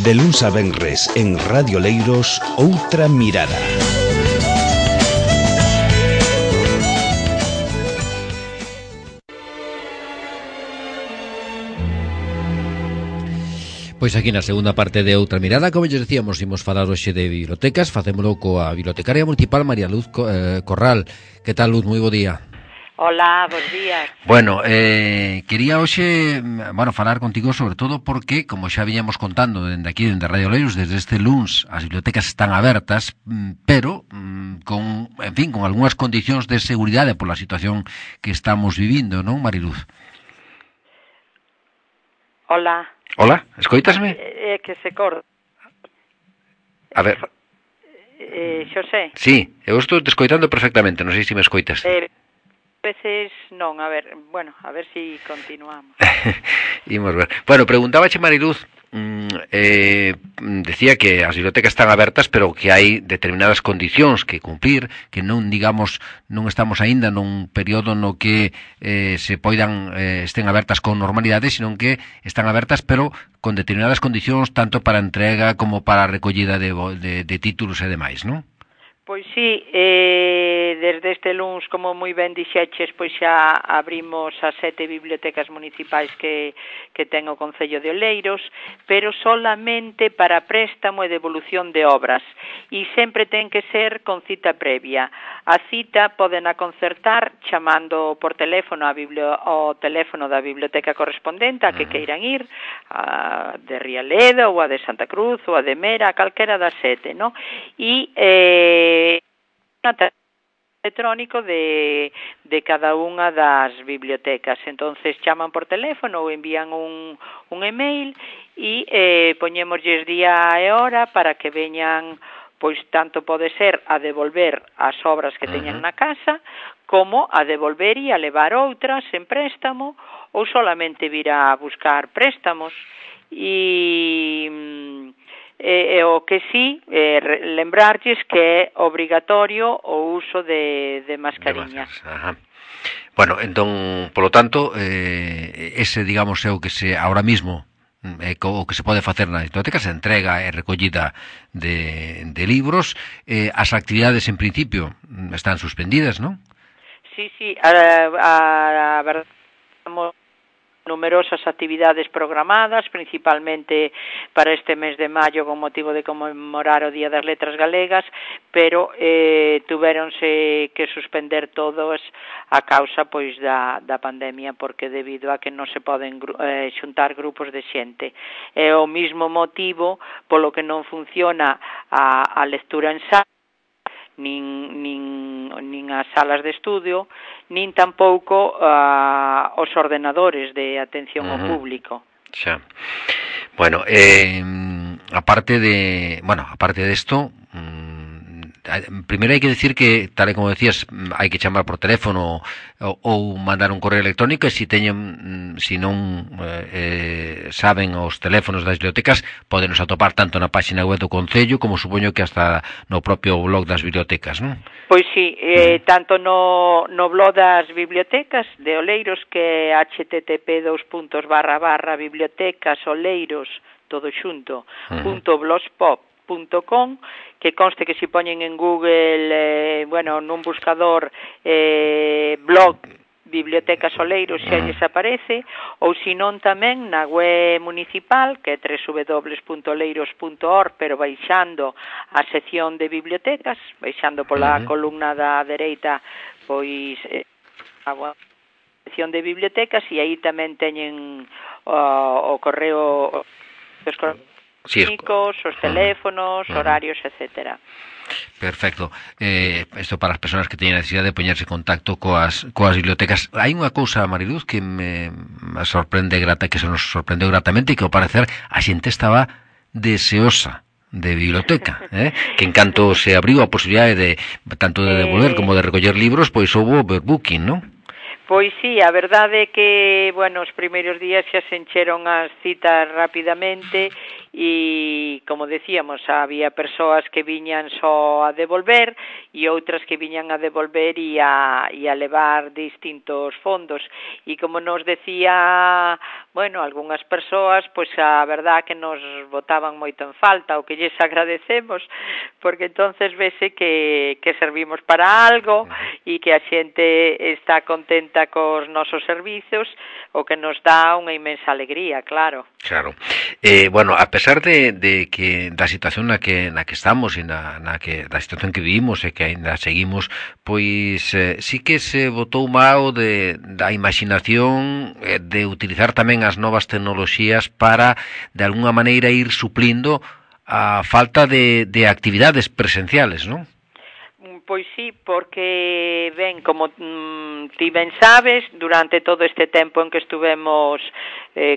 De luns a venres en Radio Leiros, Outra Mirada. Pois aquí na segunda parte de Outra Mirada, como lles decíamos, imos falar hoxe de bibliotecas. Facémolo coa bibliotecaria municipal María Luz Corral. Que tal, Luz? Moi bo día. Hola, bons días. Bueno, quería hoxe, falar contigo sobre todo porque, como xa viñamos contando dende aquí, dende Radio Leiros, desde este luns as bibliotecas están abertas, pero con algunhas condicións de seguridade pola situación que estamos vivindo, non, Mariluz? Hola. Hola, escoítasme? Que se corta. A ver. Xosé. Sí, eu estou te escoitando perfectamente, non sei se me escoitas. Veces non, a ver si continuamos. Imos ver. Bueno, preguntábache Mariluz, decía que as bibliotecas están abertas, pero que hai determinadas condicións que cumplir, que non estamos aínda nun período no que se poidan estén abertas con normalidade, sino que están abertas, pero con determinadas condicións tanto para entrega como para a recollida de títulos e demais, non? Pois sí, desde este luns, como moi ben dixeches, pois xa abrimos as 7 bibliotecas municipais que ten o Concello de Oleiros, pero solamente para préstamo e devolución de obras, e sempre ten que ser con cita previa. A cita poden concertar chamando por teléfono ao teléfono da biblioteca correspondente a que queiran ir, a de Rialeda ou a de Santa Cruz ou a de Mera, a calquera das 7, non? E electrónico de cada unha das bibliotecas. Entonces chaman por teléfono ou envían un email e poñémoslles día e hora para que veñan, pois tanto pode ser a devolver as obras que teñan na casa, como a devolver e a levar outras en préstamo, ou solamente vir a buscar préstamos. O que sí, lembrarlles que é obrigatorio o uso de mascarillas. Bueno, entón, polo tanto, ese, digamos, é o que se ahora mismo o que se pode facer na biblioteca, se entrega e recollida de libros. As actividades, en principio, están suspendidas, non? Sí, a verdade, estamos numerosas actividades programadas, principalmente para este mes de maio con motivo de conmemorar o Día das Letras Galegas, pero tuvéronse que suspender todos a causa pois da pandemia, porque debido a que non se poden xuntar grupos de xente. É o mesmo motivo polo que non funciona a lectura en sala, nin as salas de estudio, nin tampouco os ordenadores de atención ao público. Xa. Bueno, aparte de esto, primeiro hai que decir que, tal e como decías, hai que chamar por teléfono ou mandar un correo electrónico, e se non saben os teléfonos das bibliotecas, podenos atopar tanto na página web do Concello como supoño que hasta no propio blog das bibliotecas, non? Pois sí, tanto no blog das bibliotecas de Oleiros, que é http://bibliotecas-oleiros todo xunto .blogspot.com, que conste que se poñen en Google, nun buscador blog Bibliotecas Oleiros xa lles aparece, ou senón tamén na web municipal, que é www.oleiros.org, pero baixando a sección de bibliotecas, baixando pola columna da dereita, pois a sección de bibliotecas, e aí tamén teñen o correo os teléfonos, horarios, etcétera. Perfecto. Isto para as persoas que teñen a necesidade de poñerse en contacto coas bibliotecas. Hai unha cousa, Mariluz, que me sorprende que se nos sorprendeu gratamente, e que ao parecer a xente estaba deseosa de biblioteca, que en canto se abriu a posibilidade de tanto de devolver como de recoller libros, pois houve overbooking, non? Pois sí, a verdade é que, bueno, os primeiros días xa se encheron as citas rapidamente e, como decíamos, había persoas que viñan só a devolver e outras que viñan a devolver e a levar distintos fondos. E como nos decía, bueno, algunhas persoas, pois a verdade que nos botaban moito en falta, o que lles agradecemos, porque entonces vese que servimos para algo e que a xente está contenta cos nosos servizos, o que nos dá unha inmensa alegría, claro. Claro. Bueno, a pesar de que da situación na que estamos e da situación que vivimos e que aínda seguimos, pois sí que se botou mao da imaginación de utilizar tamén as novas tecnoloxías para, de alguna maneira, ir suplindo a falta de actividades presenciales, non? Pois sí, porque, ben, como ti ben sabes, durante todo este tempo en que estuvemos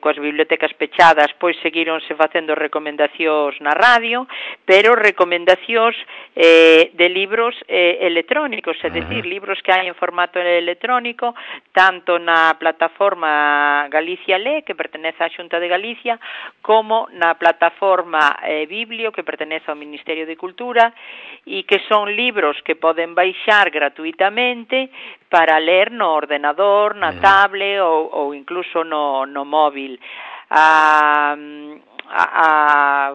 coas bibliotecas pechadas, pois seguíronse facendo recomendacións na radio, pero recomendacións de libros electrónicos, é dicir, libros que hai en formato electrónico, tanto na plataforma Galicia Lé, que pertenece á Xunta de Galicia, como na plataforma Biblio, que pertenece ao Ministerio de Cultura, e que son libros que poden baixar gratuitamente para ler no ordenador, na tablet ou incluso no móvil.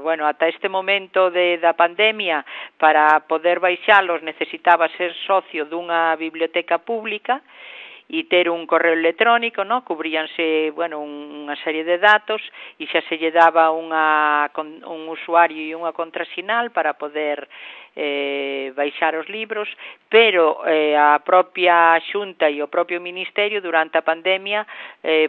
Bueno, ata este momento da pandemia, para poder baixalos necesitaba ser socio dunha biblioteca pública e ter un correo electrónico, no? Cubríanse, bueno, unha serie de datos e xa se lle daba un usuario e unha contrasinal para poder baixar os libros, pero a propia Xunta e o propio Ministerio durante a pandemia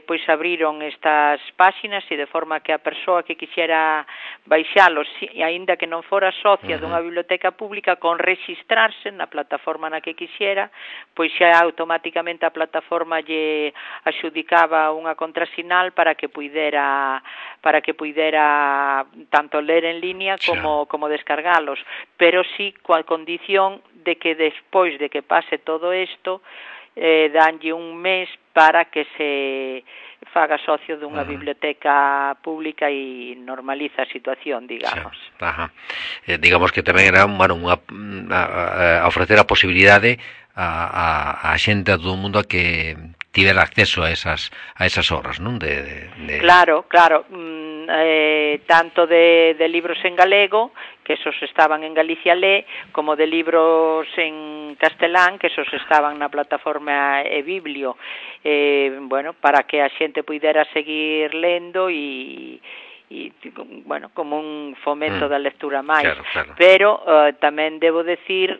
pois abriron estas páxinas e de forma que a persoa que quixera baixalos, aínda que non fora socia dunha biblioteca pública, con rexistrarse na plataforma na que quixera, pois xa automáticamente a plataforma lle axudicaba unha contrasinal para que puidera tanto ler en línea como descargalos, pero sí coa condición de que despois de que pase todo isto danlle un mes para que se faga socio dunha biblioteca pública e normaliza a situación, digamos. Digamos que tamén era a ofrecer a posibilidade a xente, a todo o mundo, a que tivera acceso a esas obras, non? Claro, tanto de libros en galego, que esos estaban en Galicia Lé, como de libros en castelán, que esos estaban na plataforma eBiblio, bueno, para que a xente puidera seguir lendo e bueno, como un fomento da lectura máis. Claro. Pero tamén debo decir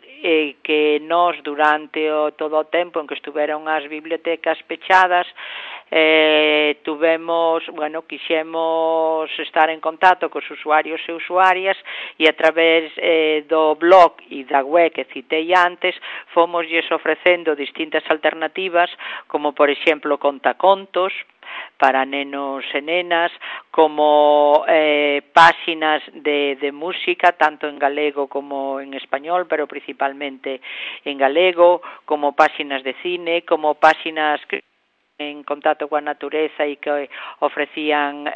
que nós durante todo o tempo en que estuveron as bibliotecas pechadas, quixemos estar en contacto cos usuarios e usuarias e a través do blog e da web que citei antes, fomosles ofrecendo distintas alternativas, como por exemplo contacontos para nenos e nenas, como páxinas de música, tanto en galego como en español, pero principalmente en galego, como páxinas de cine, como páxinas en contacto coa natureza e que ofrecían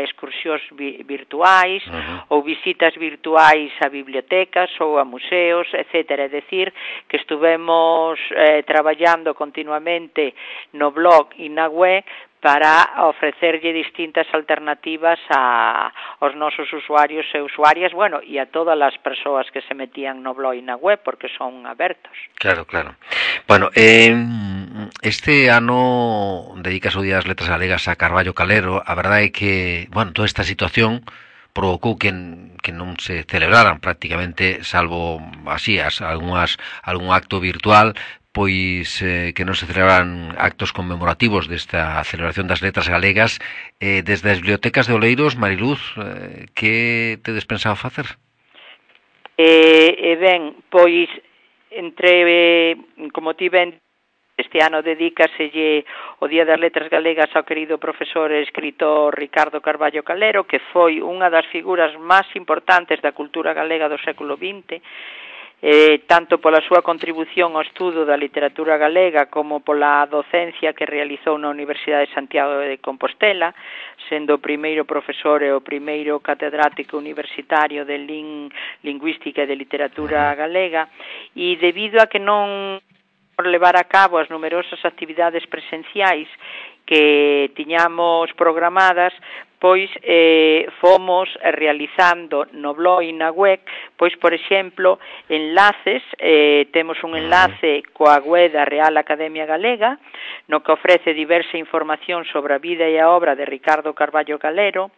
excursións virtuais ou visitas virtuais a bibliotecas ou a museos, etc. É dicir, que estuvemos traballando continuamente no blog e na web para ofrecerlle distintas alternativas aos nosos usuarios e usuarias, bueno, e a todas as persoas que se metían no blog e na web, porque son abertos. Claro. Bueno, este ano dedicas o Día das Letras Galegas a Carballo Calero. A verdade é que, bueno, toda esta situación provocou que non se celebraran prácticamente, salvo así algún acto virtual, pois que non se celebraran actos conmemorativos desta celebración das letras galegas. Desde as bibliotecas de Oleiros, Mariluz, que tedes pensado facer? Ben, pois como ti ben, este ano dedícaselle o Día das Letras Galegas ao querido profesor e escritor Ricardo Carballo Calero, que foi unha das figuras máis importantes da cultura galega do século XX, tanto pola súa contribución ao estudo da literatura galega como pola docencia que realizou na Universidade de Santiago de Compostela, sendo o primeiro profesor e o primeiro catedrático universitario de lingüística e de literatura galega, e debido a que non por levar a cabo as numerosas actividades presenciais que tiñamos programadas, pois fomos realizando no blog e na web, pois, por exemplo, enlaces, temos un enlace coa web da Real Academia Galega, no que ofrece diversa información sobre a vida e a obra de Ricardo Carballo Calero.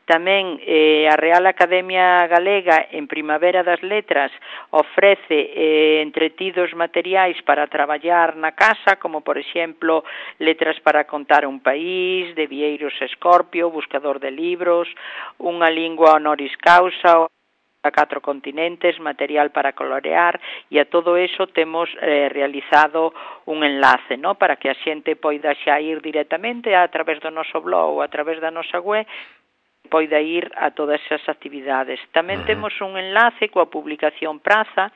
Tamén a Real Academia Galega, en Primavera das Letras, ofrece entretidos materiais para traballar na casa, como, por exemplo, Letras para contar un país, de Vieiros Escorpio, Buscador de libros, Unha lingua honoris causa, a 4 continentes, material para colorear, e a todo eso temos realizado un enlace, ¿no?, para que a xente poida xa ir directamente a través do noso blog ou a través da nosa web, poida ir a todas esas actividades. Tamén temos un enlace coa publicación Praza,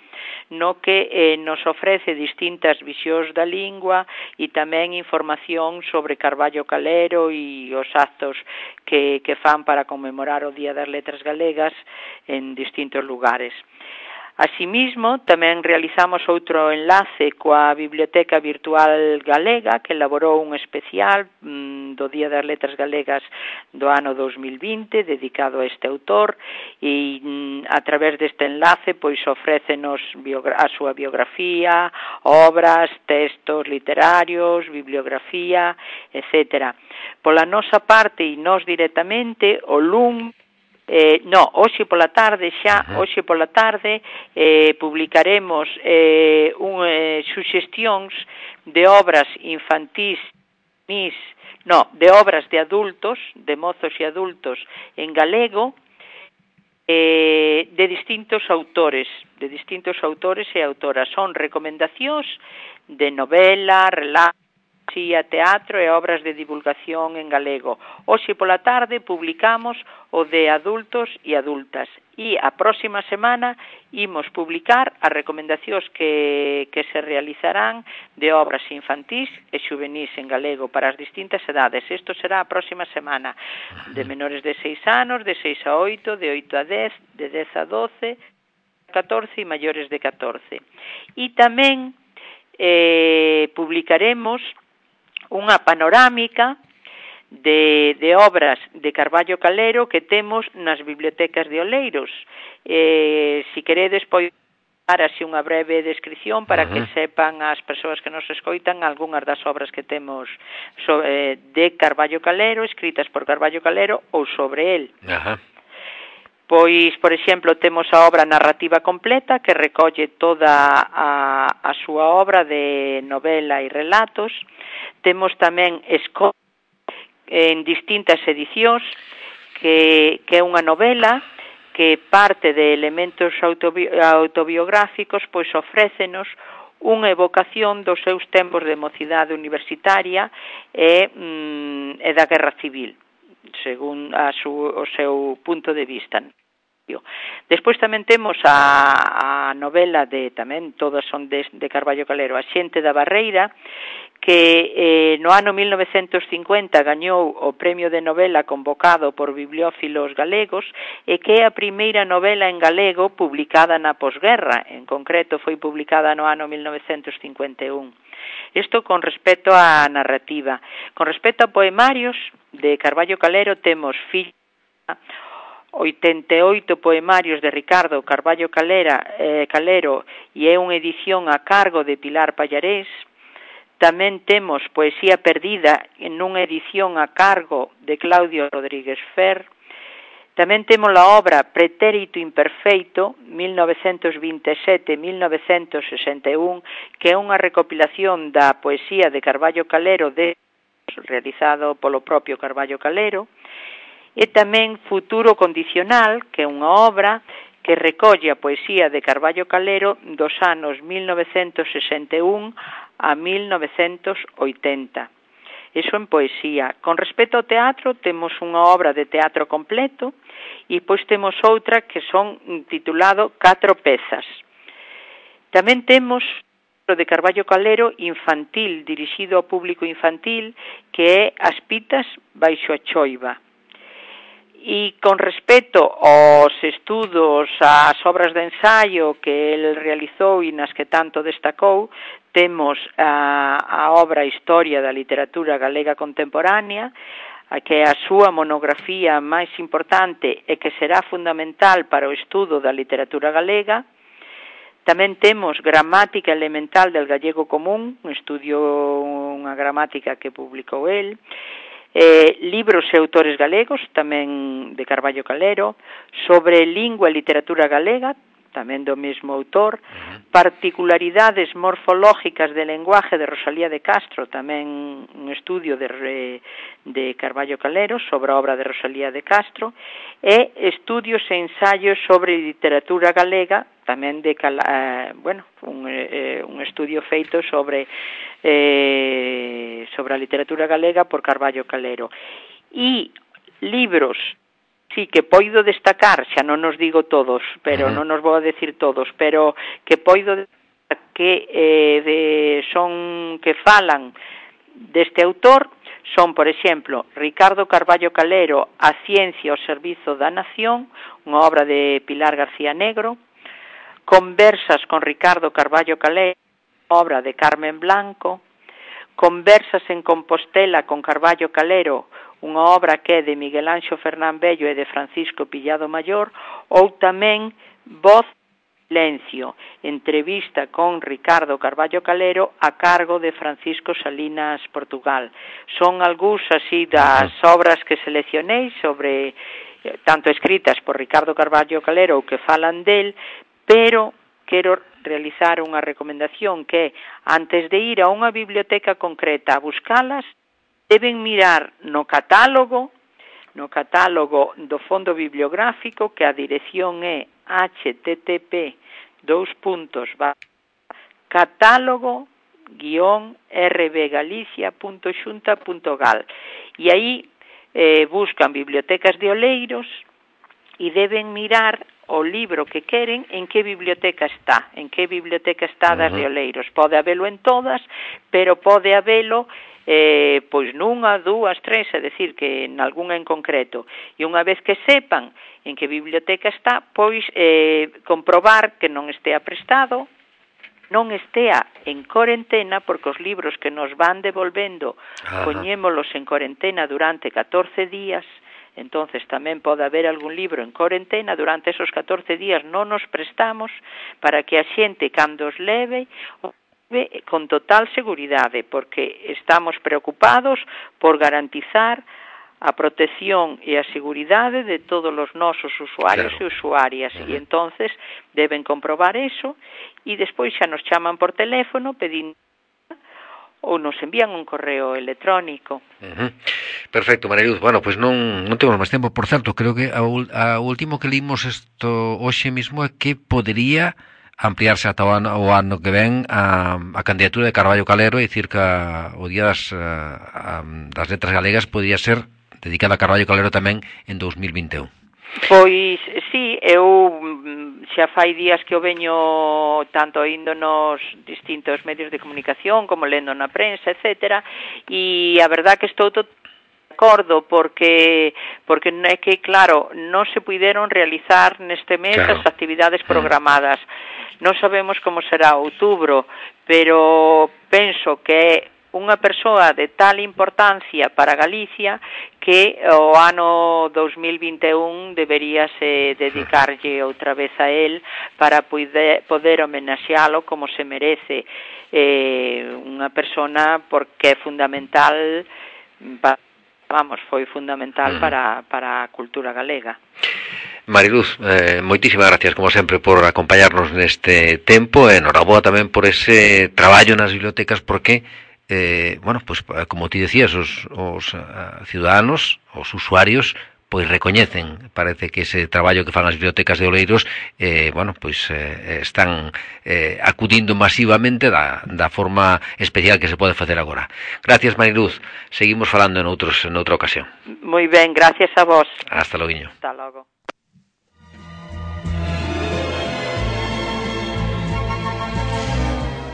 no que nos ofrece distintas visións da lingua e tamén información sobre Carballo Calero e os actos que fan para conmemorar o Día das Letras Galegas en distintos lugares. Asimismo, tamén realizamos outro enlace coa Biblioteca Virtual Galega, que elaborou un especial do Día das Letras Galegas do ano 2020, dedicado a este autor, e a través deste enlace pois ofrécenos a súa biografía, obras, textos literarios, bibliografía, etc. Pola nosa parte e nós directamente, o LUM, hoxe pola tarde publicaremos suxestións de obras infantís, de obras de adultos, de mozos e adultos en galego, de distintos autores e autoras. Son recomendacións de novela, relatos, poesía, teatro e obras de divulgación en galego. Hoxe pola tarde publicamos o de adultos e adultas, e a próxima semana imos publicar as recomendacións que se realizarán de obras infantís e xuvenís en galego para as distintas edades. Isto será a próxima semana, de menores de 6 anos, de 6 a 8, de 8 a 10, de 10 a 12, 14 e maiores de 14. E tamén publicaremos unha panorámica de obras de Carballo Calero que temos nas bibliotecas de Oleiros. Si queredes, pois, dar así unha breve descripción para que sepan as persoas que nos escoitan algunhas das obras que temos de Carballo Calero, escritas por Carballo Calero ou sobre el. Pois, por exemplo, temos a obra narrativa completa que recolle toda a súa obra de novela e relatos. Temos tamén en distintas edicións, que é unha novela que parte de elementos autobiográficos, pois ofrécenos unha evocación dos seus tempos de mocidade universitaria e da Guerra Civil, según o seu punto de vista. Despois tamén temos a novela tamén todas son de Carballo Calero, A xente da Barreira, que no ano 1950 gañou o premio de novela convocado por bibliófilos galegos e que é a primeira novela en galego publicada na posguerra, en concreto foi publicada no ano 1951. Isto con respecto á narrativa. Con respecto a poemarios de Carballo Calero temos 88 poemarios de Ricardo Carballo Calero e é unha edición a cargo de Pilar Pallarés. Tamén temos Poesía perdida nunha edición a cargo de Claudio Rodríguez Fer. Tamén temos a obra Pretérito imperfeito, 1927-1961, que é unha recopilación da poesía de Carballo Calero realizado polo propio Carballo Calero. E tamén Futuro condicional, que é unha obra que recolle a poesía de Carballo Calero dos anos 1961 a 1980. Iso en poesía. Con respecto ao teatro, temos unha obra de teatro completo e pois temos outra que son titulado 4 pezas. Tamén temos o de Carballo Calero infantil, dirixido ao público infantil, que é As pitas baixo a choiva. E con respecto aos estudos, ás obras de ensaio que el realizou e nas que tanto destacou, temos a obra Historia da Literatura Galega Contemporánea, que é a súa monografía máis importante e que será fundamental para o estudo da literatura galega. Tamén temos Gramática Elemental del Gallego Común, un estudio, unha gramática que publicou el, libros e autores galegos, tamén de Carballo Calero, sobre lingua e literatura galega, tamén do mesmo autor, particularidades morfológicas de lenguaje de Rosalía de Castro, tamén un estudio de Carballo Calero sobre a obra de Rosalía de Castro, e estudios e ensaios sobre literatura galega, tamén de un estudio feito sobre a literatura galega por Carballo Calero. E libros, sí, que poido destacar, xa non nos digo todos, pero non nos vou a decir todos, pero que poido destacar que falan deste autor son, por exemplo, Ricardo Carballo Calero, A ciencia ao servizo da nación, unha obra de Pilar García Negro, Conversas con Ricardo Carballo Calero, obra de Carmen Blanco, Conversas en Compostela con Carballo Calero, unha obra que é de Miguel Anxo Fernán Bello e de Francisco Pillado Mayor, ou tamén Voz Silencio, entrevista con Ricardo Carballo Calero a cargo de Francisco Salinas Portugal. Son algúns así das obras que seleccionei sobre, tanto escritas por Ricardo Carballo Calero ou que falan del, pero quero realizar unha recomendación que antes de ir a unha biblioteca concreta a buscalas, deben mirar no catálogo do fondo bibliográfico, que a dirección é http://catálogo-rbgalicia.xunta.gal, e aí buscan bibliotecas de Oleiros e deben mirar o libro que queren en que biblioteca está das de Oleiros. Pode habelo en todas, pero pode habelo pois nunha, dúas, tres, é dicir, que en algunha en concreto. E unha vez que sepan en que biblioteca está, pois comprobar que non estea prestado, non estea en corentena, porque os libros que nos van devolvendo poñémolos en corentena durante 14 días, entonces tamén pode haber algún libro en corentena, durante esos 14 días non nos prestamos, para que a xente, cando os leve, con total seguridade, porque estamos preocupados por garantizar a protección e a seguridade de todos os nosos usuarios e usuarias, e entonces deben comprobar eso, e despois xa nos chaman por teléfono pedindo ou nos envían un correo electrónico. Perfecto, Mariluz. Bueno, pues non temos máis tempo. Por certo, creo que a último que limos isto hoxe mismo é que podería ampliarse ata o ano que ven a candidatura de Carballo Calero, e dicir que o Día das Letras Galegas podía ser dedicada a Carballo Calero tamén en 2021. Pois, sí, eu xa fai días que o veño tanto indo nos distintos medios de comunicación como lendo na prensa, etcétera, e a verdad que estou de acordo porque é que, claro, non se puideron realizar neste mes as actividades programadas. Non sabemos como será outubro, pero penso que é unha persoa de tal importancia para Galicia que o ano 2021 deberíase dedicarlle outra vez a él para poder homenaxealo como se merece, unha persona porque é fundamental, foi fundamental para a cultura galega. Mariluz, moitísimas gracias como sempre por acompañarnos neste tempo, e enhoraboa tamén por ese traballo nas bibliotecas, porque bueno, pues como ti decías, os ciudadanos, os usuarios, pois recoñecen, parece que ese traballo que fan as bibliotecas de Oleiros, bueno, pois están acudindo masivamente da forma especial que se pode facer agora. Gracias, Mariluz. Seguimos falando noutra ocasión. Moi ben, gracias a vos. Hasta logo. Hasta logo.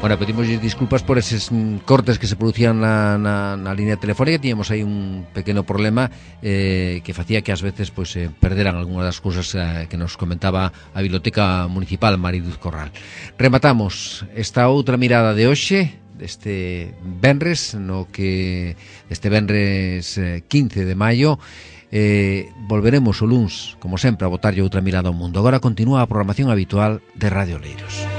Bueno, pedimos disculpas por esos cortes que se producían na línea telefónica. Tiñamos aí un pequeno problema que facía que ás veces pois perderan algunha das cousas que nos comentaba a Biblioteca Municipal Mariduz Corral. Rematamos esta outra mirada de hoxe, deste venres, no que este venres 15 de maio. Volveremos o luns, como sempre, a botarlle outra mirada ao mundo. Agora continúa a programación habitual de Radio Oleiros.